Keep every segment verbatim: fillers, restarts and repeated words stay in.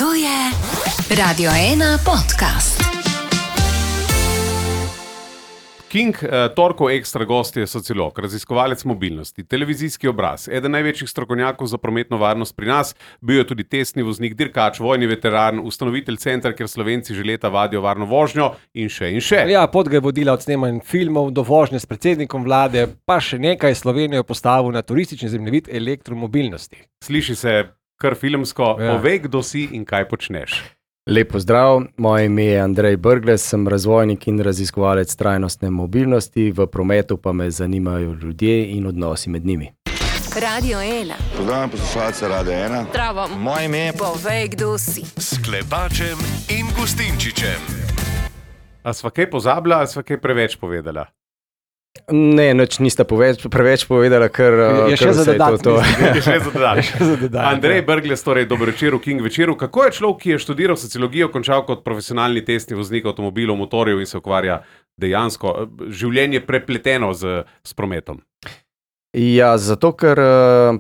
To je Radio ena podcast. King, uh, torkov ekstra gost je sociolog, raziskovalec mobilnosti, televizijski obraz, eden največjih strokovnjakov za prometno varnost pri nas, bil je tudi testni voznik, dirkač, vojni veteran, ustanovitelj centra, kjer Slovenci že leta vadijo varno vožnjo in še in še. Ja, pot ga je vodila od snemanj filmov do vožnje s predsednikom vlade, pa še nekaj Slovenijo postavil na turistični zemljevid elektromobilnosti. Sliši se kar filmsko, Ja. povej, kdo si in kaj počneš. Lepo zdrav, moje ime je Andrej Brglez, sem razvojnik in raziskovalec trajnostne mobilnosti, v prometu pa me zanimajo ljudje in odnosi med njimi. Radio ena. Pozdravljam poslušalce Radia ena. Zdravo. Moje ime je... Povej, kdo si. S Klepačem in Gustinčičem. A sva kaj pozabila, a sva kaj preveč povedala? Ne, nič nista poveč, preveč povedala, ker Je kar še za vse je dodat, to. to. Je še za dodati. za dodati, Andrej ja. Brglez, torej dober večer v King večeru. Kako je človek, ki je študiral sociologijo, končal kot profesionalni testni voznik avtomobilov, motorjev in se ukvarja dejansko življenje prepleteno z, s prometom? Ja, zato ker uh,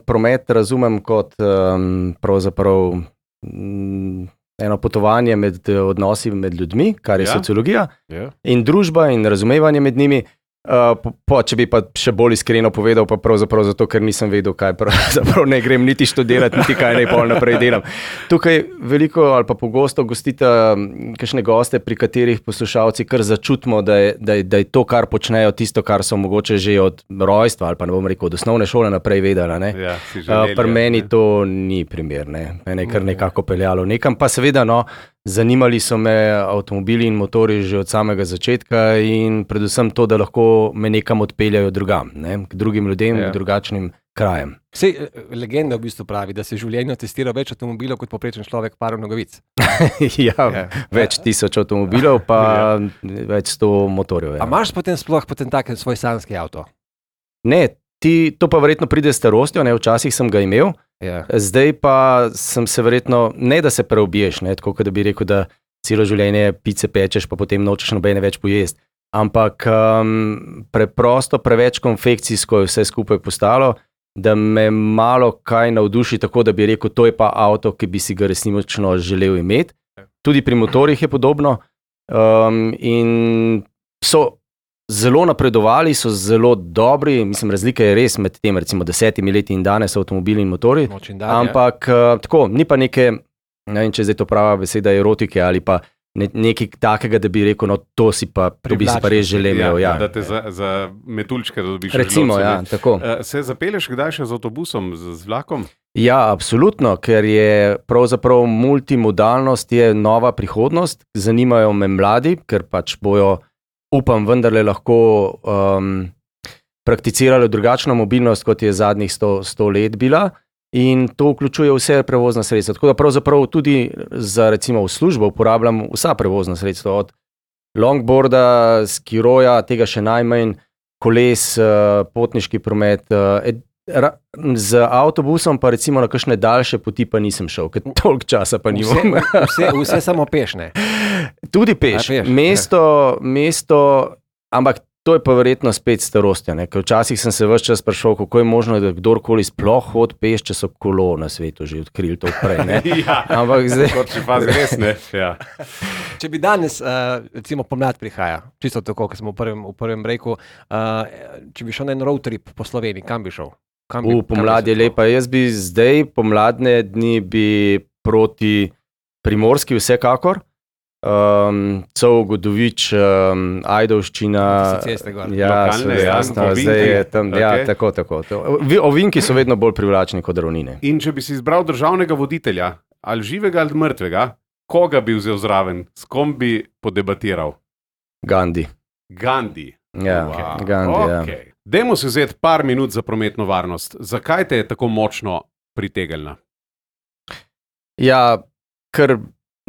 promet razumem kot um, pravzaprav um, eno potovanje med odnosi med ljudmi, kar je Ja. sociologija, Ja. in družba in razumevanje med njimi. Uh, po, po, če bi pa še bolj iskreno povedal, pa pravzaprav zato, ker nisem vedel, kaj pravzaprav ne grem niti študirati, niti kaj naj pol naprej delam. Tukaj veliko ali pa pogosto gostite kakšne goste, pri katerih poslušalci kar začutimo, da je, da, je, da je to, kar počnejo, tisto, kar so mogoče že od rojstva ali pa ne bom rekel, od osnovne šole naprej vedela. Ne? Ja, si Uh, želeli, pri meni ne? to ni primer, ne. Mene je kar nekako peljalo nekam, pa seveda no, zanimali so me avtomobili in motori že od samega začetka in predvsem to, da lahko me nekam odpeljajo drugam, ne, k drugim ljudem, Ja. k drugačnim krajem. Sej, eh, legenda v bistvu pravi, da se v življenju testira več avtomobilov kot poprečen človek parov nogavic. ja, Ja. več tisoč avtomobilov, pa več sto motorjev. A Ja. imaš potem sploh potem tak svoj sanjski avto? Ne, ti, to pa verjetno pride s starostjo, ne, včasih sem ga imel, Ja. zdaj pa sem se verjetno, ne da se preobiješ, ne, tako kot da bi rekel, da celo življenje pice pečeš, pa potem nočeš nobene več pojesti. Ampak um, preprosto, preveč konfekcijsko je vse skupaj postalo, da me malo kaj navduši, tako da bi rekel, to je pa avto, ki bi si ga resnično želel imeti. Tudi pri motorjih je podobno. Um, in so zelo napredovali, so zelo dobri, mislim, razlika je res med tem, recimo desetimi leti in danes avtomobili in motorji. Noč in dan, ja. Ampak uh, tako, ni pa neke, ne vem, če je zdaj to prava beseda, erotike ali pa ne, nekaj takega, da bi rekel, no to si pa, to bi si pa res želel. Ja, Ja, da te za, za metuljčke da dobiš. Recimo, želodce, ja, ne. tako. Uh, se zapelješ kdaj še z avtobusom, z, z vlakom? Ja, absolutno, ker je pravzaprav multimodalnost je nova prihodnost, zanimajo me mladi, ker pač bojo, upam, vendarle lahko um, prakticirali drugačno mobilnost, kot je zadnjih sto, sto let bila. In to vključuje vse prevozna sredstva. Tako da pravzaprav tudi za recimo v službo uporabljam vsa prevozna sredstva, od longboarda, skiroja, tega še najmanj, koles, potniški promet. Z avtobusom pa recimo na kakšne daljše poti pa nisem šel, ker toliko časa pa Vse, nimam. vse, vse samo pešne. Tudi peš, A, peš, mesto, mesto, ampak to je pa verjetno spet starostja, ne? Ker včasih sem se ves čas sprašal, kako je možno, da kdorkoli sploh hodi peš, če so kolo na svetu že odkrili to prej. Ne? Ja, Ampak zdaj, kot če pa res ne. Ja. Če bi danes, uh, recimo pomlad prihaja, čisto tako, kot smo v prvem, v prvem breaku, uh, če bi šel na en road trip po Sloveniji, kam bi šel? Kam bi, v pomlad je kam bi se lepa. Jaz bi zdaj, pomladne dni bi proti Primorski vsekakor. Um, Cov, Godovič, um, Ajdovščina. Tiste ceste gor. Ja, Lokalne, seveda, ja, jasno, ovinki. zdaj je tam, ja, Okej. tako, tako. To. Vi- Ovinki so vedno bolj privlačni kot ravnine. In če bi si izbral državnega voditelja, ali živega ali mrtvega, koga bi vzel zraven, s kom bi podebatiral? Gandhi. Gandhi. Ja, Wow. Gandhi, ja. Okay. Dajmo si vzeti par minut za prometno varnost. Zakaj te je tako močno pritegnila? Ja, ker,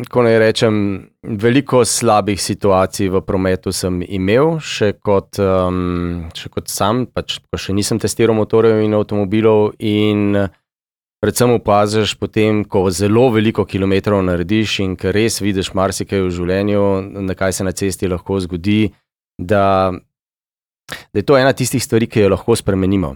ko naj rečem, veliko slabih situacij v prometu sem imel, še kot, um, še kot sam, pač, ko še nisem testiral motorjev in avtomobilov in predvsem opaziš potem, ko zelo veliko kilometrov narediš in ker res vidiš marsikaj v življenju, na kaj se na cesti lahko zgodi, da, da je to ena tistih stvari, ki jo lahko spremenimo.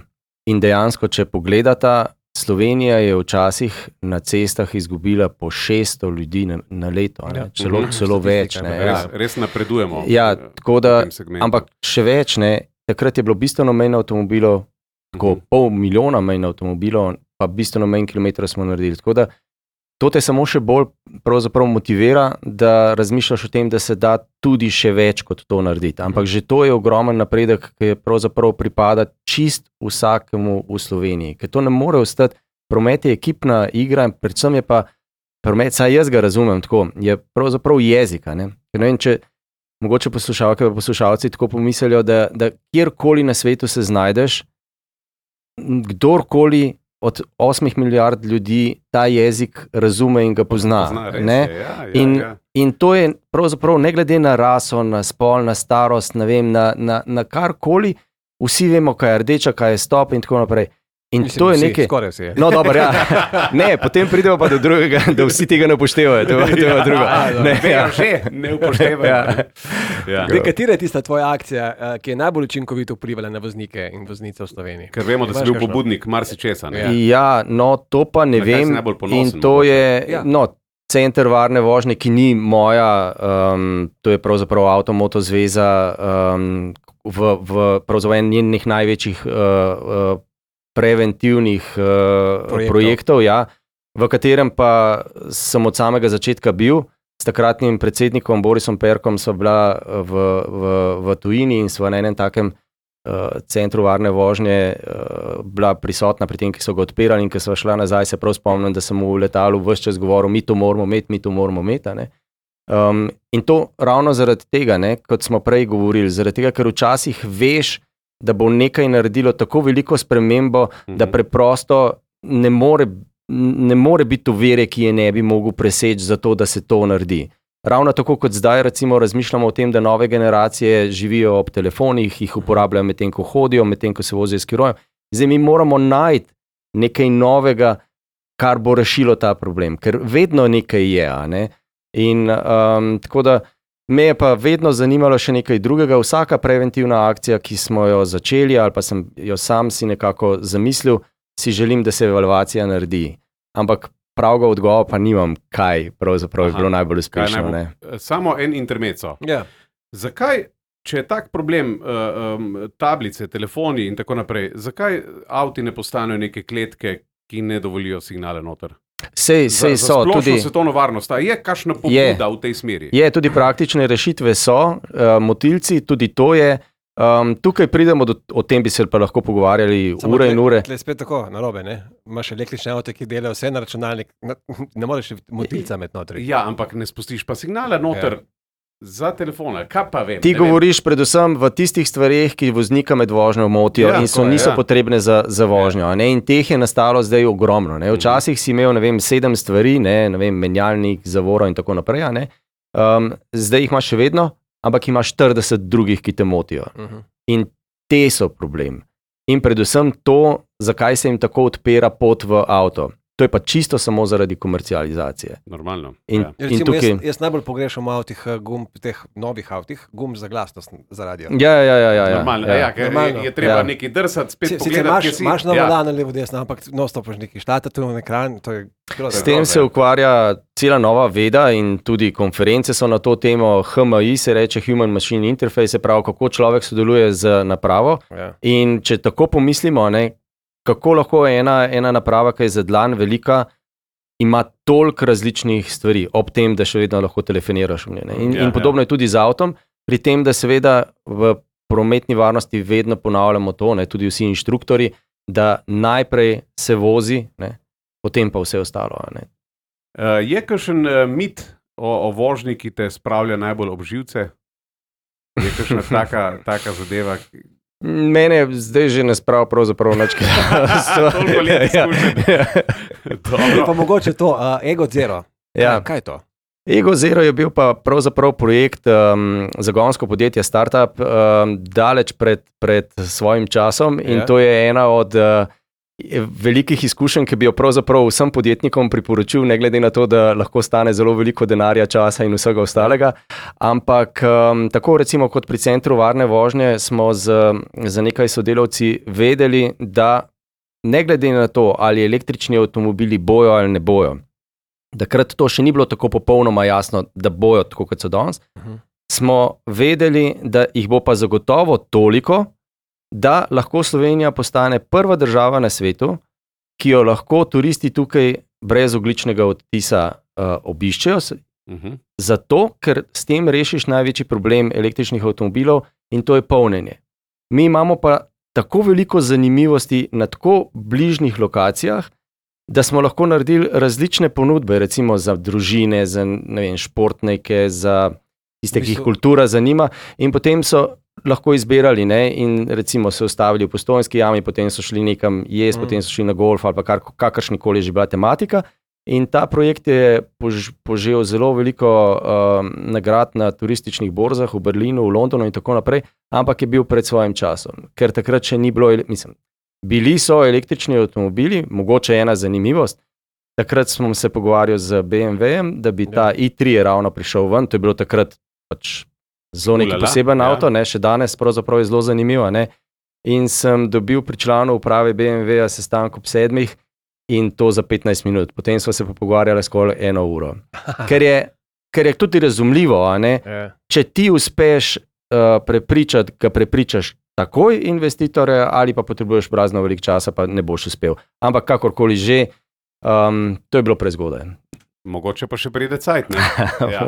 In dejansko, če pogledata Slovenija je včasih na cestah izgubila po šeststo ljudi na, na leto, ne? Ja. Celo, Mhm. celo več. Ne? Res, Ja. res napredujemo. Ja, eh, tako da, v tem segmentu. ampak še več, ne, takrat je bilo bistveno manj avtomobilov, tako Mhm. pol milijona manj avtomobilov, pa bistveno manj kilometrov smo naredili. Tako da to te samo še bolj pravzaprav motivira, da razmišljaš o tem, da se da tudi še več kot to narediti. Ampak že to je ogromen napredek, ki je pravzaprav pripada čist vsakemu v Sloveniji, ker to ne more ostati. Promet je ekipna igra in predvsem je pa promet, saj jaz ga razumem tako, je pravzaprav jezika. Ne? Ker ne vem, če mogoče poslušalke in poslušalci tako pomislijo, da, da kjerkoli na svetu se znajdeš, kdorkoli od osmih milijard ljudi ta jezik razume in ga pozna. Pozna, res ne? je, ja, ja, In, ja. in to je pravzaprav ne glede na raso, na spol, na starost, ne vem, na, na, na karkoli, vsi vemo, kaj je rdeča, kaj je stop in tako naprej. In Mislim, to je vsi, nekaj. Skoraj vsi. No, dobro, ja. Ne, potem pridemo pa do drugega, da vsi tega ne upoštevajo. To, to je pa drugo. Ne, Vejo ja. že, ne upoštevajo. Ja. Ja. Zdaj, katera je tista tvoja akcija, eh, ki je najbolj učinkovito vplivala na voznike in voznice v Sloveniji? Ker vemo, da si Imaš bil kakšno? pobudnik marsičesa. ne? Ja. Ja, no, to pa ne Na kaj si vem. najbolj ponosen, In to mogoče? je, Ja. no, center varne vožnje, ki ni moja, um, to je pravzaprav Avtomoto zveza, um, v, v pravzaprav en njenih največjih uh, uh, preventivnih uh, Projektov. projektov, ja, v katerem pa sem od samega začetka bil. S takratnim predsednikom Borisom Perkom sva bila v, v, v tujini in sva na enem takem uh, centru varne vožnje uh, bila prisotna pri tem, ki so ga odpirali, in ko sva šla nazaj, se prav spomnim, da sem v letalu ves čas govoril, mi to moramo imeti, mi to moramo imeti. a ne. Um, in to ravno zaradi tega, ne, kot smo prej govorili, zaradi tega, ker včasih veš, da bo nekaj naredilo tako veliko spremembo, Mhm. da preprosto ne more, ne more biti ovire, ki je ne bi mogel preseči za to, da se to naredi. Ravno tako kot zdaj recimo razmišljamo o tem, da nove generacije živijo ob telefonih, jih uporabljajo medtem, ko hodijo, medtem, ko se vozijo s skirojem. Zdaj mi moramo najti nekaj novega, kar bo rešilo ta problem, ker vedno nekaj je. A ne? In um, tako da me je pa vedno zanimalo še nekaj drugega. Vsaka preventivna akcija, ki smo jo začeli ali pa sem jo sam si nekako zamislil, si želim, da se evalvacija naredi. Ampak pravega odgovora pa nimam, kaj pravzaprav je Aha, bilo najbolj Kaj uspešno. najbolj- Ne? Samo en intermezzo. Ja. Zakaj, če je tak problem, uh, um, tablice, telefoni in tako naprej, zakaj avti ne postanejo neke kletke, ki ne dovolijo signale noter? Sej, Za, sej za so splošno tudi. svetovno varnost. A je kakšna pobuda v tej smeri? Je, tudi praktične rešitve so, uh, motilci, tudi to je. Um, tukaj pridemo do, o tem bi se pa lahko pogovarjali Samo ure tle- in ure. tle je spet tako, narobe, ne? Imaš električne avte, ki delajo vse na računalnik, ne, ne moreš motilca med notri. Ja, ampak ne spustiš pa signale noter. Za telefone, kaj pa vem? Ti ne vem. govoriš predvsem v tistih stvareh, ki voznika med vožnjo motijo Ja, in so, tako je, niso ja. potrebne za, za vožnjo. a Ne? In teh je nastalo zdaj ogromno. Ne? Včasih si imel ne vem, sedem stvari, ne? Ne vem, menjalnik, zavoro in tako naprej. a ne. Um, zdaj jih imaš še vedno, ampak imaš štirideset drugih, ki te motijo. Uh -huh. In te so problem. In predvsem to, zakaj se jim tako odpira pot v avto. To je pa čisto samo zaradi komercializacije. Normalno. In, ja. in Recimo, tukaj. jaz, jaz najbolj pogrešam v avtih eh, gumb, teh novih avtih, gumb za glasnost za radio. Ja, ja, ja, ja, ja, Normalno, ja. ja, ker je, Normalno. je treba Ja. nekaj drsati, spet Si- Sicer pogledati, imaš, kje si. imaš na Ja. volanu levo desno, ampak no stopiš neki štata tu na ekran, to je grozno. S tem se ukvarja cela nova veda in tudi konference so na to temo. H M I se reče Human Machine Interface, se pravi, kako človek sodeluje z napravo. Ja. In če tako pomislimo, ne, kako lahko ena, ena naprava, ki je za dlan velika, ima toliko različnih stvari, ob tem, da še vedno lahko telefoniraš v njej. ne. In, Ja, in podobno je tudi z avtom, pri tem, da seveda v prometni varnosti vedno ponavljamo to, ne, tudi vsi inštruktori, da najprej se vozi, ne, potem pa vse ostalo. a Ne. Uh, je kakšen uh, mit o, o vožnji, ki te spravlja najbolj ob živce? Je kakšna taka, taka zadeva? ki- Mene zdaj že ne sprav pravzaprav nič. Toliko let izkušenj. Dobro. Pa mogoče to, uh, Ego Zero. Ja. Kaj, kaj je to? Ego Zero je bil pa pravzaprav projekt um, zagonsko podjetje, startup, um, daleč pred, pred svojim časom in Ja. to je ena od uh, velikih izkušenj, ki bi jo pravzaprav vsem podjetnikom priporočil, ne glede na to, da lahko stane zelo veliko denarja, časa in vsega ostalega. Ampak um, tako recimo kot pri centru varne vožnje smo z, z nekaj sodelavci vedeli, da ne glede na to, ali električni avtomobili bojo ali ne bojo, takrat to še ni bilo tako popolnoma jasno, da bojo tako, kot so danes, uh-huh. smo vedeli, da jih bo pa zagotovo toliko, da lahko Slovenija postane prva država na svetu, ki jo lahko turisti tukaj brez ogljičnega odtisa uh, obiščejo, uh-huh. zato, ker s tem rešiš največji problem električnih avtomobilov in to je polnjenje. Mi imamo pa tako veliko zanimivosti na tako bližnjih lokacijah, da smo lahko naredili različne ponudbe, recimo za družine, za ne vem, športnike, za tiste, ki jih kultura zanima, in potem so lahko izbirali, ne, in recimo se ustavili v Postojnski jami, potem so šli nekam jesti, mm. potem so šli na golf ali pa kar, kakršnikoli že bila tematika. In ta projekt je pož, požel zelo veliko um, nagrad na turističnih borzah v Berlinu, v Londonu in tako naprej, ampak je bil pred svojim časom, ker takrat še ni bilo, mislim, bili so električni avtomobili, mogoče ena zanimivost. Takrat smo se pogovarjali z B M W-jem, da bi ta i tri je ravno prišel ven, to je bilo takrat pač zelo neki poseben ja. avto, ne, še danes pravzaprav je zelo zanimivo. Ne. In sem dobil pri članu uprave B M W-ja sestanek ob sedmih in to za petnajst minut. Potem smo se pa pogovarjali skoraj eno uro. Ker je, ker je tudi razumljivo, a ne, ja. če ti uspeš uh, prepričati, ga prepričaš takoj investitore ali pa potrebuješ brazno veliko časa, pa ne boš uspel. Ampak kakorkoli že, um, to je bilo prezgodaj. Mogoče pa še pride cajt, ne? Ja.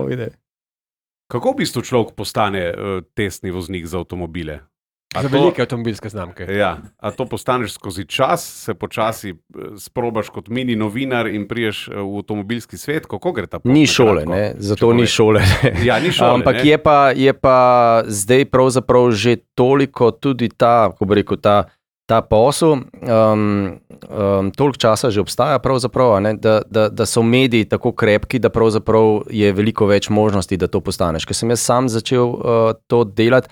Kako v bistvu človek postane uh, testni voznik za avtomobile? A za to, velike avtomobilske znamke. Ja, a to postaneš skozi čas, se počasi sprobaš kot mini novinar in priješ v avtomobilski svet, kako gre ta pot? Ni šole, ne, zato ni šole. Ja, ni šole, ampak ne? je pa, je pa zdaj pravzaprav že toliko tudi ta, ko bi rekel, ta, ta posel, um, um, toliko časa že obstaja pravzaprav, ne, da, da, da so mediji tako krepki, da pravzaprav je veliko več možnosti, da to postaneš. Ker sem jaz sam začel uh, to delati,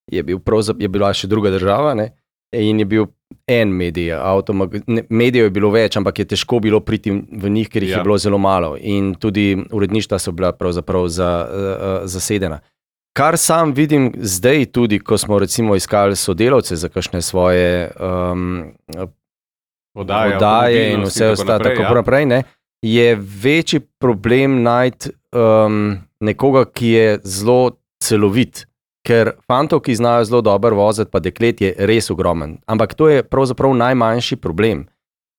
Je, bil je bila še druga država, ne? In je bil en medij, avtomag... medijev je bilo več, ampak je težko bilo priti v njih, ker jih ja. je bilo zelo malo in tudi uredništva so bila pravzaprav za, uh, zasedena. Kar sam vidim zdaj tudi, ko smo recimo iskali sodelavce za kakšne svoje um, Odaje, odaje in vse ostalo, tako ja. naprej, ne? Je večji problem najti um, nekoga, ki je zelo celovit. Ker fantov, ki znajo zelo dobro voziti, pa deklet je res ogromen. Ampak to je pravzaprav najmanjši problem.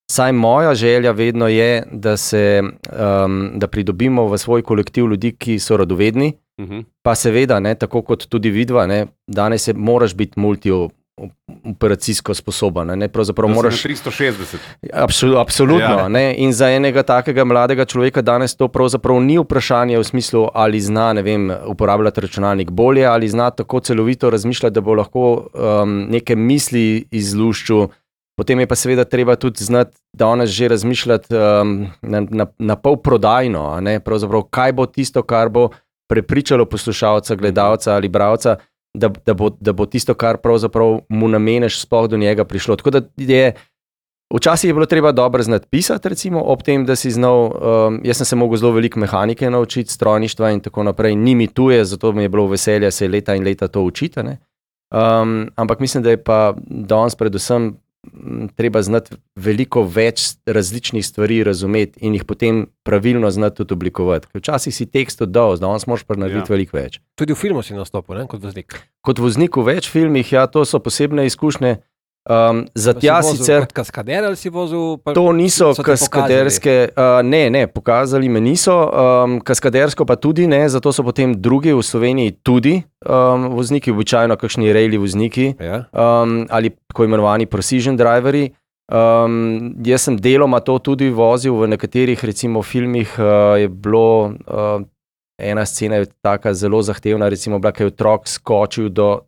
Saj moja želja vedno je, da, se, um, da pridobimo v svoj kolektiv ljudi, ki so radovedni, uh-huh. pa seveda, ne, tako kot tudi vidva, ne, danes je, moraš biti multioperacijsko sposoben. Ne, pravzaprav moraš tristo šestdeset. Absol, absolutno. Ja. Ne, in za enega takega mladega človeka danes to pravzaprav ni vprašanje v smislu, ali zna, ne vem, uporabljati računalnik bolje, ali zna tako celovito razmišljati, da bo lahko um, neke misli izluščil. Potem je pa seveda treba tudi znati danes že razmišljati um, na, na, na pol prodajno, a ne, pravzaprav kaj bo tisto, kar bo prepričalo poslušalca, gledalca ali bralca, Da, da, bo, da bo tisto, kar pravzaprav mu nameneš, sploh do njega prišlo. Tako da je, včasih je bilo treba dobro znati pisati, recimo, ob tem, da si znal, um, jaz sem se mogel zelo veliko mehanike naučiti, strojništva in tako naprej, ni mi tuje, zato mi je bilo veselje se leta in leta to učiti. Ne? Um, ampak mislim, da je pa danes predvsem treba znati veliko več različnih stvari razumeti in jih potem pravilno znati tudi oblikovati. Včasih si tekst oddal, danes moraš pa narediti ja. veliko več. Tudi v filmu si nastopil, ne, kot voznik? Kot voznik v več filmih, ja, to so posebne izkušnje. Um, za tja sicer... Kot kaskader ali si vozil? Pa, to niso kaskaderske... Uh, ne, ne, pokazali me niso. Um, kaskadersko pa tudi ne, zato so potem drugi v Sloveniji tudi um, vozniki, običajno kakšni rejli vozniki ja. um, ali tako imenovani precision driveri. Um, jaz sem deloma to tudi vozil v nekaterih, recimo, filmih. Uh, je bilo... Uh, ena scena je taka zelo zahtevna, recimo, bila, kaj je otrok skočil do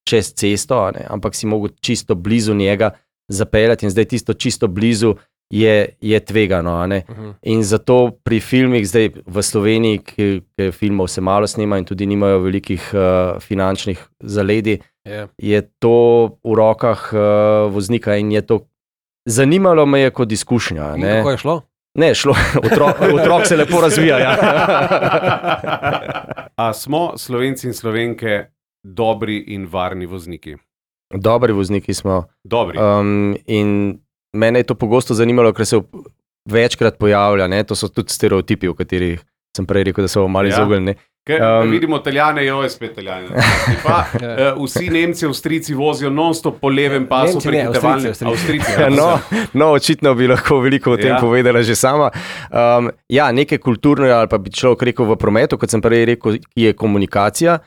čez cesto, ne, ampak si mogel čisto blizu njega zapeljati in zdaj tisto čisto blizu je, je tvegano. Ne. Uh-huh. In zato pri filmih zdaj v Sloveniji, ki, ki filmov se malo snima in tudi nimajo velikih uh, finančnih zaledij, yeah. je to v rokah uh, voznika in je to zanimalo me je kot izkušnja. In kako je šlo? Ne, šlo, otrok, otrok se lepo razvija. Ja. A smo Slovenci in Slovenke dobri in varni vozniki? Dobri vozniki smo. Dobri. Um, in mene je to pogosto zanimalo, ker se večkrat pojavlja, ne? To so tudi stereotipi, o katerih sem prej rekel, da so malo Ja. izognjeni. Ker Um, vidimo Italijane, jo je spet Italijane. Pa, uh, vsi Nemci, Avstrijci vozijo non-stop po levem pasu Nemci ne, prehitevalne- Avstrijci, Avstrijci. Avstrijci, ja, No, no, očitno bi lahko veliko o tem Ja. ja. povedala že sama. Um, ja, nekaj kulturnega, ali pa bi človek rekel v prometu, kot sem prej rekel, ki je komunikacija,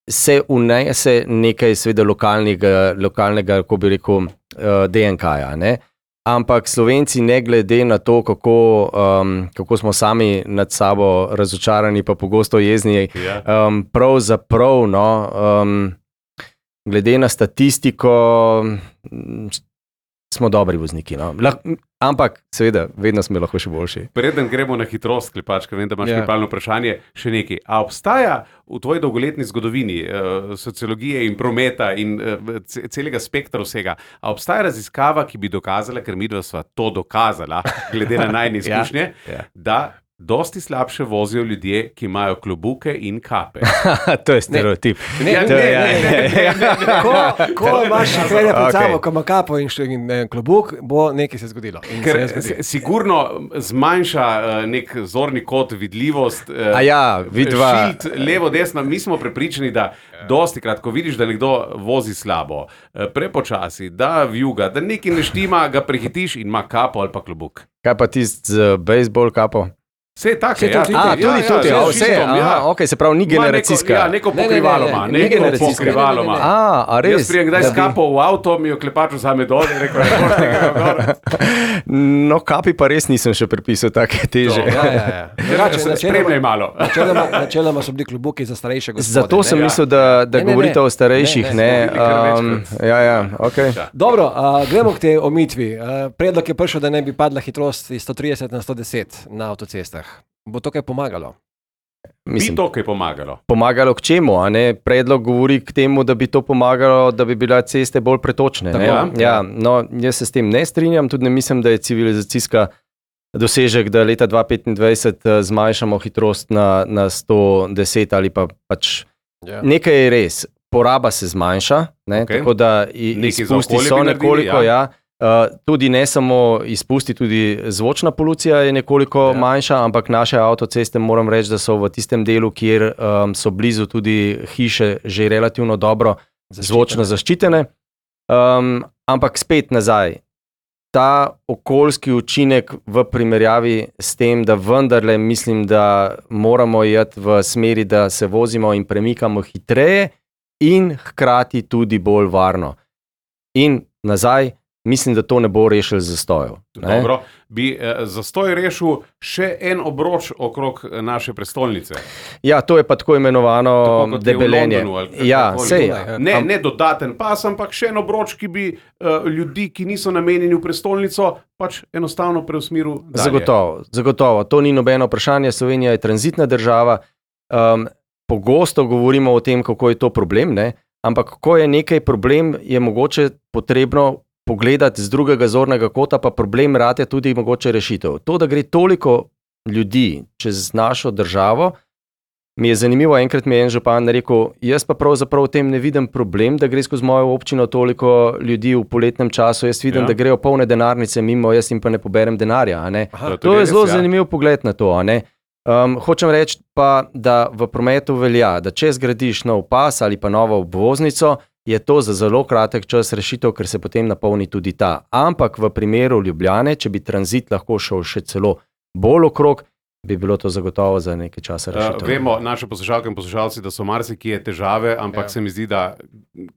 se unese nekaj seveda lokalnega, lokalnega kako bi rekel, uh, D N K-ja. Ne? Ampak Slovenci, ne glede na to, kako, um, kako smo sami nad sabo razočarani, pa pogosto jezni, Ja. um, pravzaprav, no, um, glede na statistiko, m, smo dobri vozniki. No. Lah, ampak, seveda, vedno smo lahko še boljši. Preden gremo na hitrost, Klepačka, vem, da imaš Ja. pripravljeno vprašanje, še nekaj. A obstaja v tvoji dolgoletni zgodovini uh, sociologije in prometa in uh, celega spektra vsega, a obstaja raziskava, ki bi dokazala, ker midva sva to dokazala, glede na najne izkušnje, ja. da dosti slabše vozijo ljudje, ki imajo klobuke in kape. To je stereotip. Ne, Ja, ne, ne, ne, ne, ne, ne, ne, ne. Ko, ko imaš trener pred Okej. sabo, ko ima kapo in, še- in eh, klobuk, bo nekaj se zgodilo. In Ker se je zgodilo. si- sigurno zmanjša uh, nek zorni kot, vidljivost. Uh, A ja, vidva. Šilt, levo, desno. Mi smo prepričani, da dosti krat, ko vidiš, da nekdo vozi slabo, eh, prepočasi, da vjuga, da nekaj ne štima, ga prehitiš in ima kapo ali pa klobuk. Kaj pa tisti z bejzbol kapo? Vse je tako, Saj to ja, tudi- A, Ja, tudi, ja, tudi, ja, ja, z vse, šiltom, aha, ja. ok, se pravi, ni Ima generacijska. Neko, ja, neko Ne, ne, ne, pokrivalo ne, ima, ne, neko generacijska. pokrivalo ima. Ne, ne, ne, A, a res? Jaz prijem kdaj Da s bi- kapo v avto, mi jo klepač vzame dol in rekel, da boš tega gor. No, kapi pa res nisem še prepisal take teže. Ja, ja, ja. Drugače, Spremljaj malo. Načeloma, načeloma so bili klobuki za starejše gospode. Zato sem ne? mislil, da, da Ne, ne, govorite ne. o starejših. Ne, Ne, ne, smo bili kar um, večkrat. ja, ja, okay. Dobro, uh, gremo k tej omitvi. Uh, predlog je prišel, da ne bi padla hitrost iz sto trideset na sto deset na avtocestah. Bo to kaj pomagalo? Bi Mislim, to kaj pomagalo. pomagalo k čemu? A ne? Predlog govori k temu, da bi to pomagalo, da bi bile ceste bolj pretočne. Ne? Tako, Ja, no, jaz se s tem ne strinjam, tudi ne mislim, da je civilizacijska dosežek, da leta dva tisoč petindvajset eh, zmanjšamo hitrost na, na sto deset ali pa pač. Ja. Nekaj je res, poraba se zmanjša, ne, Okej. tako da i- Nekaj za izpusti okolje so bi naredili, nekoliko, ja. ja. Uh, tudi ne samo izpusti, tudi zvočna polucija je nekoliko Ja. ja. manjša, ampak naše avtoceste moram reči, da so v tistem delu, kjer um, so blizu tudi hiše, že relativno dobro zvočno zaščitene. Um, ampak spet nazaj. Ta okoljski učinek v primerjavi s tem, da vendarle mislim, da moramo iti v smeri, da se vozimo in premikamo hitreje in hkrati tudi bolj varno. In nazaj, mislim, da to ne bo rešil zastojev. ne. Dobro, bi eh, zastoj rešil še en obroč okrog eh, naše prestolnice. Ja, to je pa tako imenovano Tako kot je v debelenje. Londonu ali Ja, kakorkoli. sej. Dunaj, Ne, Am- ne dodaten pas, ampak še en obroč, ki bi uh, ljudi, ki niso namenjeni v prestolnico, pač enostavno preusmeril. dalje. Zagotovo, zagotovo. To ni nobeno vprašanje. Slovenija je tranzitna država. Um, pogosto govorimo o tem, kako je to problem, ne? Ampak ko je nekaj problem, je mogoče potrebno pogledati z drugega zornega kota, pa problem rate tudi mogoče rešitev. To, da gre toliko ljudi čez našo državo, mi je zanimivo. Enkrat mi je en župan rekel, jaz pa pravzaprav v tem ne vidim problem, da gre skozi mojo občino toliko ljudi v poletnem času. Jaz vidim, Ja. ja. da grejo polne denarnice mimo, jaz jim pa ne poberem denarja. a ne. Aha, To To je je res, zelo ja. zanimiv pogled na to. a ne. Um, hočem reči pa, da v prometu velja, da če zgradiš nov pas ali pa novo obvoznico, je to za zelo kratek čas rešitev, ker se potem napolni tudi ta. Ampak v primeru Ljubljane, če bi tranzit lahko šel še celo bolj okrog, bi bilo to zagotovo za nekaj časa Uh, rešitev. vemo, naše poslušalke in poslušalci, da so marsikje težave, ampak Ja. se mi zdi, da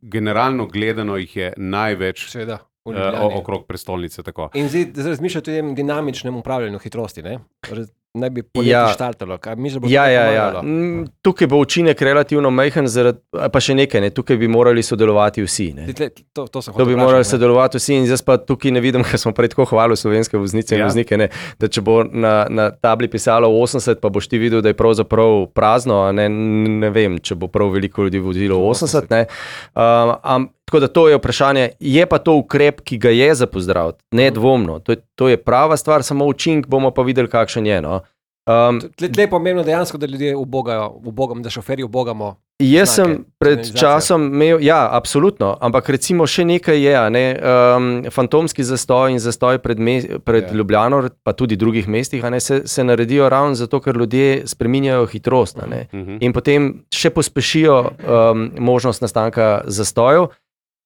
generalno gledano jih je največ Seveda. v uh, Ljubljani. okrog prestolnice. Tako. In zdaj zdaj razmišljate o tem dinamičnem upravljanju hitrosti, ne? Raz- Naj bi poleti Ja. štartalo. Kaj misliš, da bo to Ja, kaj ja, ja. pomagalo? Mm, Tukaj bo učinek relativno majhen, zaradi, pa še nekaj, ne? Tukaj bi morali sodelovati vsi. Ne? Zdaj, tle- To, to, sem To bi hotel morali vprašati, ne. sodelovati vsi, in zdaj pa tukaj ne vidim, ker smo prej tako hvalili slovenske voznice in Ja. voznike, ne, da če bo na, na tabli pisalo osemdeset, pa boš ti videl, da je pravzaprav prazno, a ne, ne vem, če bo prav veliko ljudi vozilo osemdeset. Ne. Um, am, tako da to je vprašanje, je pa to ukrep, ki ga je za pozdraviti, nedvomno. To je, to je prava stvar, samo učink bomo pa videli, kakšen je. No. Um, Tle, tle je pomembno dejansko, da ljudje ubogajo, ubogamo, da šoferji ubogamo. Jaz sem znake, pred signalizacija. časom imel, ja, absolutno, ampak recimo še nekaj je, a ne, um, fantomski zastoj in zastoj pred, me, pred Ja. Ljubljano, pa tudi drugih mestih, a ne, se, se naredijo ravno zato, ker ljudje spreminjajo hitrost, a ne, Mhm. in potem še pospešijo um, možnost nastanka zastojev.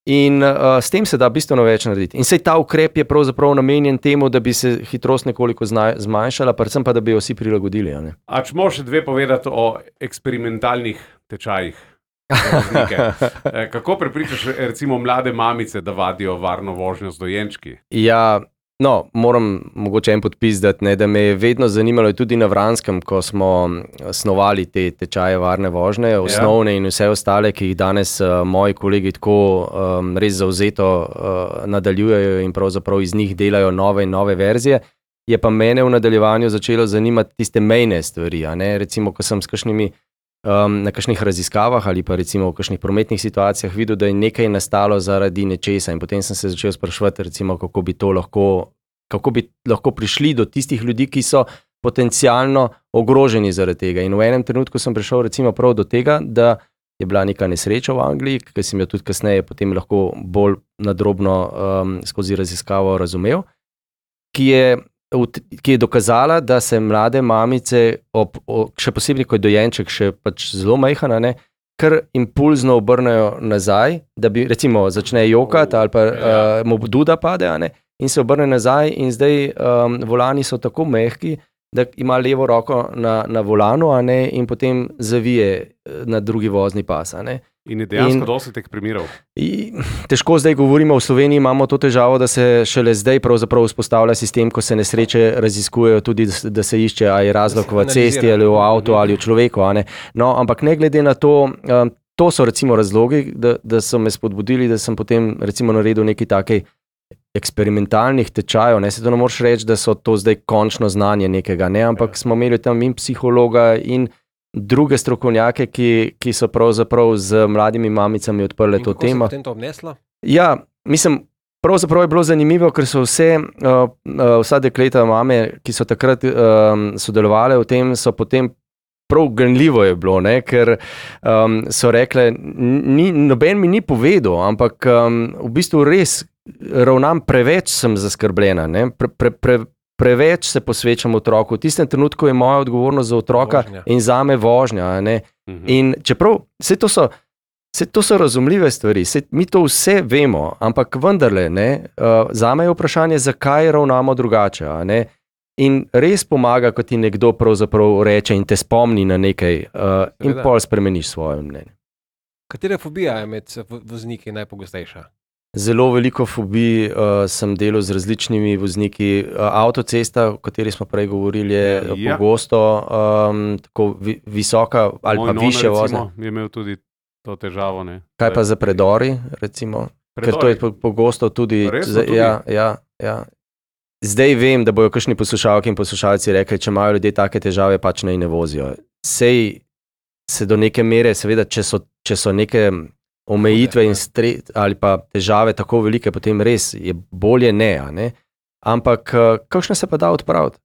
In uh, s tem se da bistveno več narediti. In sej ta ukrep je pravzaprav namenjen temu, da bi se hitrost nekoliko zna, zmanjšala, predvsem pa, da bi jo vsi prilagodili. A ne? A če možeš še dve povedati o eksperimentalnih tečajih? za voznike? Eh, Kako prepričaš recimo mlade mamice, da vadijo varno vožnjo z dojenčki? Ja, no, moram mogoče en podpis dati, ne, da me je vedno zanimalo tudi na Vranskem, ko smo snovali te tečaje varne vožnje, osnovne in vse ostale, ki jih danes uh, moji kolegi tako um, res zavzeto uh, nadaljujejo in pravzaprav iz njih delajo nove in nove verzije. Je pa mene v nadaljevanju začelo zanimati tiste mejne stvari, a ne, recimo, ko sem s kakšnimi Um, na kakšnih raziskavah ali pa recimo v kakšnih prometnih situacijah videl, da je nekaj nastalo zaradi nečesa in potem sem se začel spraševati, recimo, kako bi to lahko, kako bi lahko prišli do tistih ljudi, ki so potencialno ogroženi zaradi tega. In v enem trenutku sem prišel recimo prav do tega, da je bila neka nesreča v Angliji, ki sem jo tudi kasneje potem lahko bolj nadrobno um, skozi raziskavo razumel, ki je ki je dokazala, da se mlade mamice, ob, ob, še posebej, ko je dojenček še pač zelo majhna, ne, kar impulzno obrnejo nazaj, da bi recimo začne jokati ali pa uh, mu duda pade, a ne, in se obrne nazaj in zdaj um, volani so tako mehki, da ima levo roko na, na volanu, a ne, in potem zavije na drugi vozni pas, a ne. In je dejansko In- dosti teh primerov. I, težko zdaj govorimo, v Sloveniji imamo to težavo, da se šele zdaj pravzaprav vzpostavlja sistem, ko se nesreče raziskujejo tudi, da se- da se išče, ali je razlog Da se v cesti analizira. ali v avtu ali v človeku. A ne. No, ampak ne glede na to, um, to so recimo razlogi, da, da so me spodbudili, da sem potem recimo naredil nekaj takej eksperimentalnih tečajev. Ne, se to ne moreš reči, da so to zdaj končno znanje nekega, ne, ampak smo imeli tam in psihologa in druge strokovnjake, ki, ki so pravzaprav z mladimi mamicami odprli In to kako se je temo. potem to obneslo? Ja, mislim, pravzaprav je bilo zanimivo, ker so vse, uh, uh, vsa dekleta mame, ki so takrat um, sodelovali v tem, so potem prav ganljivo je bilo, ne? Ker um, so rekle, ni, noben mi ni povedal, ampak um, v bistvu res ravnam preveč, sem zaskrbljena, ne? Pre, pre, pre, preveč se posvečam otroku. V tistem trenutku je moja odgovornost za otroka Vožnja. in zame vožnja. a Ne? Mhm. In čeprav vse to so, vse to so razumljive stvari, vse, mi to vse vemo, ampak vendarle, ne, uh, zame je vprašanje, zakaj ravnamo drugače. a Ne? In res pomaga, ko ti nekdo pravzaprav reče in te spomni na nekaj uh, in Seveda. pol spremeniš svoje mnenje. Katera fobija je med vo- vozniki najpogostejša? Zelo veliko fobij uh, sem delal z različnimi vozniki. Uh, avtocesta, o kateri smo prej govorili, je Ja. ja. pogosto um, tako vi, visoka ali Moj pa nona, više vožnje. recimo, je imel tudi to težavo. Ne? Kaj pa za predori, recimo? Ker to je po- pogosto tudi. Res so za- tudi? Ja, ja, ja. Zdaj vem, da bojo kakšni poslušalki in poslušalci rekli, če imajo ljudje take težave, pač naj ne vozijo. Sej se do neke mere, seveda, če so, če so neke omejitve in stre, ali pa težave tako velike, potem res je bolje ne. a ne. Ampak eh, kakšne se pa da odpraviti?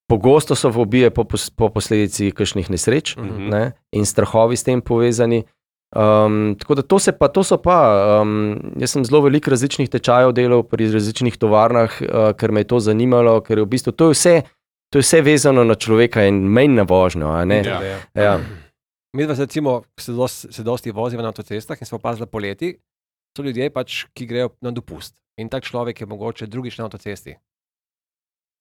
Pogosto so fobije po, pos- po posledici kakšnih nesreč, Mhm. ne, in strahovi s tem povezani. Um, tako da to, se pa, to so pa, um, jaz sem zelo veliko različnih tečajev delal pri različnih tovarnah, uh, ker me je to zanimalo, ker je v bistvu to je vse, to je vse vezano na človeka in menj na vožnjo. a ne. Ja. Ja. Mi dva se recimo se dosti, se dosti voziva na avtocestah in smo opazili poleti, so ljudje pač, ki grejo na dopust. In tak človek je mogoče drugič na avtocesti.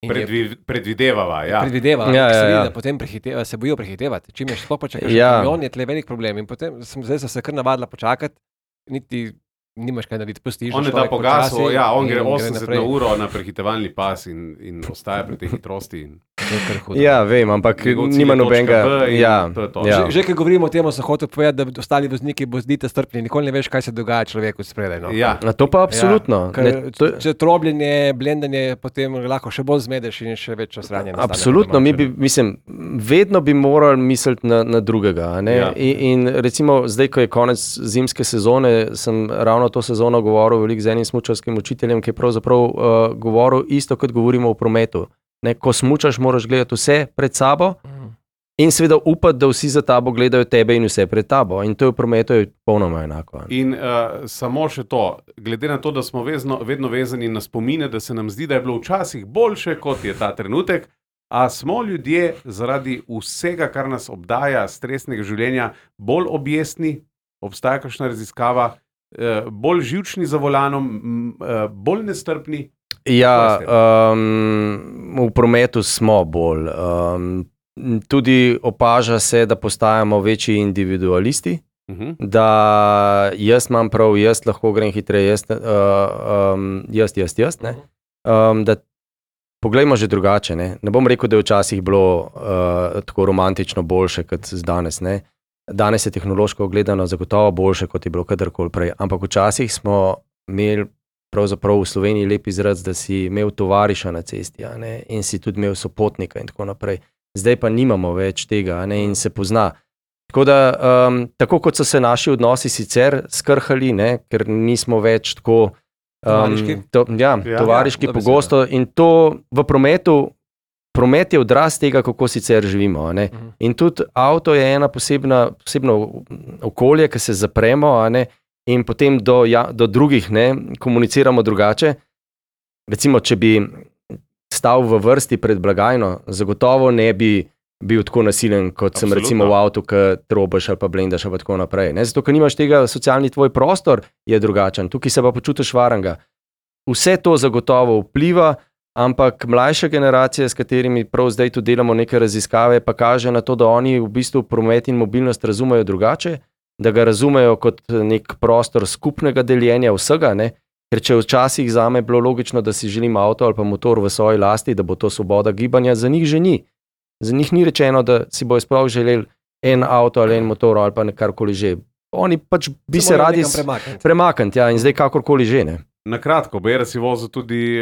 In je Predvi, predvidevava. Ja. predvideva, Ja, ja, ja, ja, ja. da potem prehiteva, se bojijo prehitevati. Čim je sploh počakaš, Ja. ja. kamion je tle velik problem. In potem sem, zdaj sem se kar navadila počakati, niti nimaš kaj narediti, pustiš. On da je da človek pogasal, počasi ja, on in gre gre osemdeset naprej. na uro na prehitevalni pas in, in ostaja pri tej hitrosti. In To je kar hudo. Ja, vem, ampak njegov cilj nima je točka nobenega. B in Ja, to je to. ja. Že, že ko govorimo o tem, sem hotel povedati, da ostali vozniki bozdite strpni, nikoli ne veš, kaj se dogaja človeku spredaj. No. Ja. Na to pa absolutno. Ker, Ne, to, če trobljenje, blendanje, potem lahko še bolj zmedeš in še več osranja. nastane Absolutno, po mi domače. bi, mislim, vedno bi morali misliti na, na drugega. a Ne? Ja. In, in recimo, zdaj, ko je konec zimske sezone, sem ravno to sezono govoril veliko z enim smučarskim učiteljem, ki je pravzaprav uh, govoril isto, kot govorimo o prometu. Ne? Ko smučaš, moraš gledati vse pred sabo, In seveda upati, da vsi za tabo gledajo tebe in vse pred tabo. In to je v prometu popolnoma enako. In uh, samo še to, glede na to, da smo vezno, vedno vezani na spomine, da se nam zdi, da je bilo včasih boljše, kot je ta trenutek, a smo ljudje zaradi vsega, kar nas obdaja, stresnega življenja, bolj objestni, obstaja kakšna raziskava, uh, bolj živčni za volanom, uh, bolj nestrpni? Ja, um, v prometu smo bolj. Um, Tudi opaža se, da postajamo večji individualisti, uh-huh. da jaz imam prav, jaz lahko grem hitreje, jaz, uh, um, jaz, jaz, jaz. Ne? Um, da poglejmo že drugače. Ne, ne bom rekel, da je včasih bilo uh, tako romantično boljše kot danes. Ne? Danes je tehnološko gledano zagotovo boljše, kot je bilo kadarkoli prej. Ampak včasih smo imeli pravzaprav v Sloveniji lep izraz, da si imel tovariša na cesti, a ne? In si tudi imel sopotnika in tako naprej. Zdaj pa nimamo več tega, ne, in se pozna. Tako da, um, tako kot so se naši odnosi sicer skrhali, ne, ker nismo več tako um, tovariški, to, ja, ja, tovariški ja, pogosto in to v prometu, promet je odraz tega, kako sicer živimo. Ne. Uh-huh. In tudi avto je ena posebna, posebno okolje, ki se zapremo, a ne, in potem do, ja, do drugih ne, komuniciramo drugače. Recimo, če bi stal v vrsti pred blagajno, zagotovo ne bi bil tako nasilen, kot sem Absolutno. recimo v avtu, ki trobaš ali pa blendaš ali pa tako naprej. Ne? Zato, ker nimaš tega, socialni tvoj prostor je drugačen, tukaj se pa počutiš varnega. Vse to zagotovo vpliva, ampak mlajša generacija, s katerimi prav zdaj tu delamo neke raziskave, pa kaže na to, da oni v bistvu promet in mobilnost razumejo drugače, da ga razumejo kot nek prostor skupnega deljenja vsega, ne? Ker če včasih zame bilo logično, da si želim avto ali pa motor v svoji lasti, da bo to svoboda gibanja, za njih že ni. Za njih ni rečeno, da si bojo sploh želeli en avto ali en motor ali pa karkoli že. Oni pač bi se, se radi premakniti. premakniti, ja, in zdaj kakorkoli že. Ne. Na kratko, Bera si vozil tudi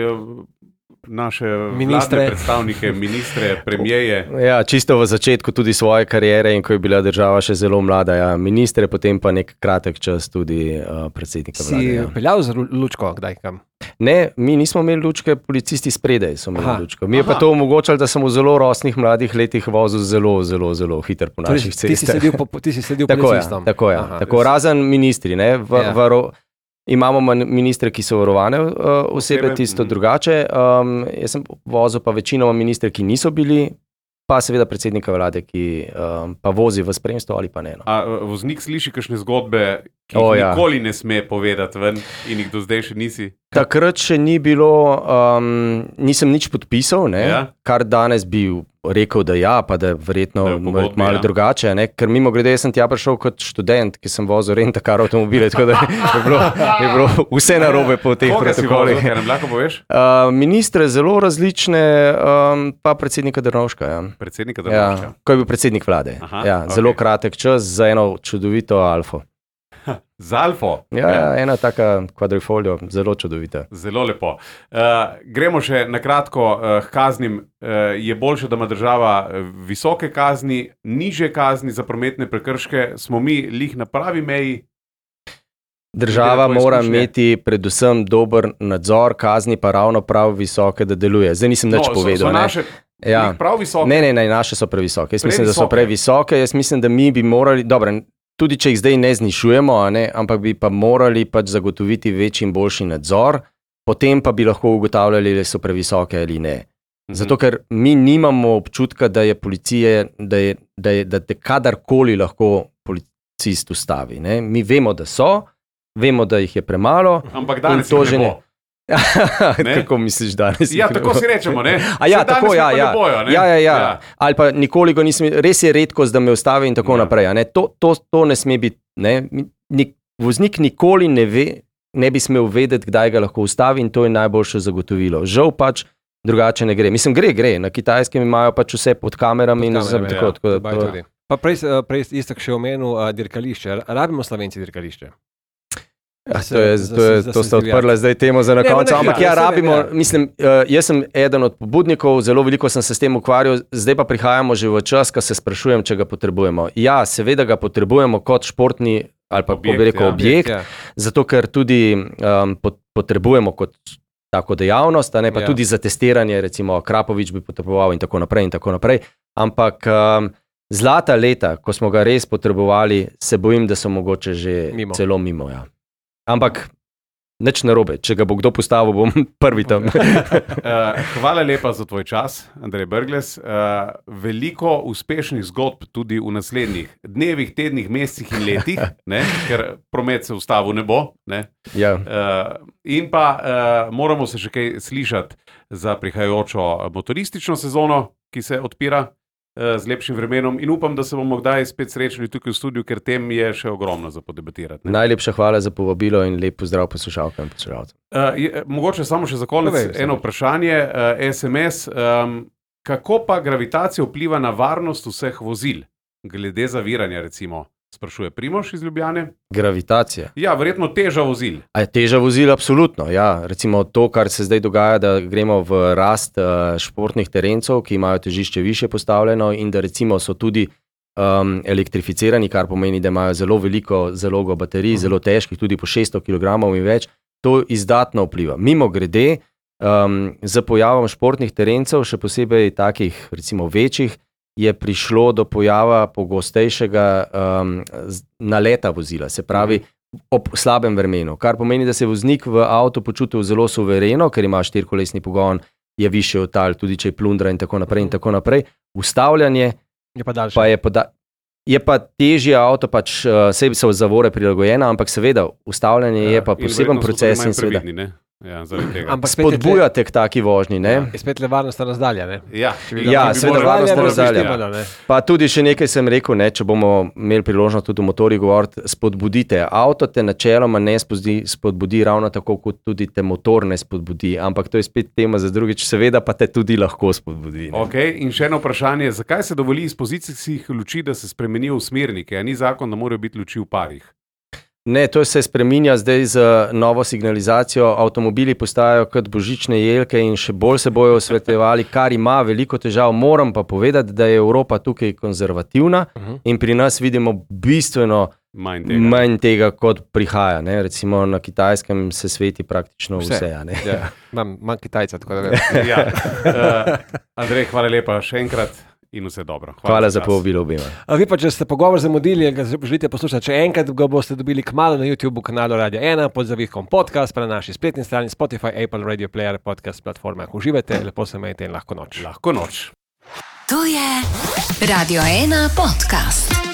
naše Ministre. vladne predstavnike, ministre, premijeje. Ja, čisto v začetku tudi svoje kariere in ko je bila država še zelo mlada. Ja. Ministre, potem pa nek kratek čas tudi uh, predsednika vlade. Si ja. peljal z lučko, kdaj kam? Ne, mi nismo imeli lučke, policisti spredaj so imeli Aha. lučko. Mi je Aha. pa to omogočalo, da sem v zelo rosnih mladih letih vozil zelo, zelo, zelo hiter po naših Torej, ti si cestah. sledil, po, ti si sledil Tako je, policistom. tako je. Aha. Tako, razen ministri. Ne, v, Ja. v, ro- imamo man- ministre, ki so varovane uh, osebe, Osebe, tisto mhm. drugače. Um, jaz sem vozil pa večinoma ministre, ki niso bili, pa seveda predsednika vlade, ki um, pa vozi v spremstvu ali pa ne. No. A uh, voznik sliši kakšne zgodbe, ki O, jih ja. nikoli ne sme povedati ven in jih do zdaj še nisi? Takrat še ni bilo, um, nisem nič podpisal, ne, Ja. kar danes bi rekel, da ja, pa da verjetno Da je v pogodbi, malo ja. drugače. Ne, ker mimo grede sem tja prišel kot študent, ki sem vozil rentakar avtomobile, tako da je bilo, je bilo vse narobe po teh Koga si vozil, protokolih. kaj nam lahko poveš? Uh, ministre zelo različne, um, pa predsednika Drnovška. Ja. Predsednika Ja, Drnovška. ko je bil predsednik vlade. Aha, ja, ok. zelo kratek čas za eno čudovito alfo. Z Alfo. Ja, ja, ena taka kvadrifolio, zelo čudovita. Zelo lepo. Uh, gremo še na kratko uh, k kaznim. Uh, je boljše, da ima država uh, visoke kazni, niže kazni za prometne prekrške, smo mi lih na pravi meji. Država Glede na tvoje mora izkušnje. imeti predvsem dober nadzor, kazni pa ravno prav visoke, da deluje. Zdaj nisem nič so, povedal. so ne. naše Ja. lih prav visoke. Ne, ne, ne, naše so previsoke. Jaz mislim, da so Previsoke. previsoke. Jaz mislim, da mi bi morali, dobro, tudi če jih zdaj ne znižujemo, a ne, ampak bi pa morali pač zagotoviti večji in boljši nadzor, potem pa bi lahko ugotavljali, ali so previsoke ali ne. Mhm. Zato, ker mi nimamo občutka, da je policije, da, je, da, je, da te kadarkoli lahko policist ustavi. Ne. Mi vemo, da so, vemo, da jih je premalo. Ampak In danes to jih že ne ne. bo. Ne? Kako misliš danes? Ja, tako si rečemo, ne? A ja, Saj danes tako, jih ja, pa ne ja. bojo, ne? Ja, ja, ja. Ja. Ali pa nikoli ga nisem, res je redkost, da me ustavi in tako Ja. naprej. a Ne? To, to, to ne sme biti. Ne? Nik, voznik nikoli ne ve, ne bi smel vedeti, kdaj ga lahko ustavi in to je najboljše zagotovilo. Žal pač drugače ne gre. Mislim, gre, gre. Na Kitajskem imajo pač vse pod kamerami in Pod kamerami, tako, ja. tako da Dubaj to- tudi. Pa prej, eh, prej istak še omenil uh, dirkališče. Rabimo Slovenci dirkališče. Ja, Da se- to je, da to, je, se- da to se sta zdivja. odprla zdaj temo za na Ne, koncu. ne, Ampak ja, ja, saj vem, rabimo, ja. mislim, uh, jaz sem eden od pobudnikov, zelo veliko sem se s tem ukvarjal, zdaj pa prihajamo že v čas, ko se sprašujem, če ga potrebujemo. Ja, seveda ga potrebujemo kot športni ali pa Objekt, bi rekel ja. objekt, Ja. zato ker tudi um, pot, potrebujemo kot tako dejavnost, a ne pa Ja. ja. tudi za testiranje, recimo Krapovič bi potreboval in tako naprej in tako naprej. Ampak um, zlata leta, ko smo ga res potrebovali, se bojim, da so mogoče že Mimo. celo mimo. Ja. Ampak nič narobe, če ga bo kdo postavil, bom prvi tam. Uh, hvala lepa za tvoj čas, Andrej Brglez. Uh, veliko uspešnih zgodb tudi v naslednjih dnevih, tednih, mesecih in letih, ne? Ker promet se ustavil ne bo. Ne? Ja. Uh, in pa uh, moramo se še kaj slišati za prihajajočo motoristično sezono, ki se odpira uh, z lepšim vremenom, in upam, da se bomo kdaj spet srečali tukaj v studiu, ker tem je še ogromno za podebatirati. Ne? Najlepša hvala za povabilo in lep pozdrav poslušalkam in poslušalcem. Uh, je, mogoče samo še za konec Povej, eno vprašanje, uh, S M S. Um, kako pa gravitacija vpliva na varnost vseh vozil? Glede zaviranja, recimo, sprašuje Primož iz Ljubljane. Gravitacija. Ja, verjetno teža vozil. A je teža vozil, absolutno. Ja. Recimo to, kar se zdaj dogaja, da gremo v rast uh, športnih terencev, ki imajo težišče više postavljeno in da recimo so tudi um, elektrificirani, kar pomeni, da imajo zelo veliko zalogo baterij, uh-huh. zelo težkih, tudi po šeststo kilogramov in več, to izdatno vpliva. Mimo grede, um, z pojavom športnih terencev, še posebej takih recimo večjih, je prišlo do pojava pogostejšega um, naleta vozila, se pravi ob slabem vremenu, kar pomeni, da se je voznik v avtu počutil zelo suvereno, ker ima štirikolesni pogon, je višje od tal, tudi če je plundra in tako naprej in tako naprej. Ustavljanje Je pa daljše. pa je, poda- je pa težje avto, pač uh, sebi so zavore prilagojene, ampak seveda ustavljanje ja, je pa poseben proces in seveda Ja, zaradi tega. Ampak spet je tle- spodbujate k taki vožnji, ne? je spet le varnostna razdalja, ne? Ja, Ja, bi seveda morali- varnostna morali razdalja. biti, ja. Ne? Pa tudi še nekaj sem rekel, ne, če bomo imeli priložnost tudi o motorjih govoriti, spodbudite. Avto te načeloma ne spodbudi, spodbudi ravno tako, kot tudi te motor ne spodbudi, ampak to je spet tema za drugič, seveda pa te tudi lahko spodbudi. Ne. Okay, in še eno vprašanje, zakaj se dovoli iz pozicijskih luči, da se spremenijo v smernike, a ni zakon, da morajo biti luči v parih? Ne, to se spreminja zdaj z novo signalizacijo, avtomobili postajajo kot božične jelke in še bolj se bojo osvetljevali, kar ima veliko težav. Moram pa povedati, da je Evropa tukaj konzervativna uh-huh. in pri nas vidimo bistveno Manj tega. manj tega, kot prihaja. Ne. Recimo na Kitajskem se sveti praktično vse. Vse. vse a ne. Ja. Imam, imam Kitajca, tako da vem. Ja. Uh, Andrej, hvala lepa še enkrat in vse dobro. Hvala za čas. povabilo obema. A vi pa, če ste pogovor zamudili in ga želite poslušati še enkrat, ga boste dobili kmalu na YouTube kanalu Radio ena pod zavihkom podcast, pa na naši spletni strani Spotify, Apple Radio Player, podcast platformah. Uživajte, lepo se imejte in lahko noč. Lahko noč. To je Radio ena podcast.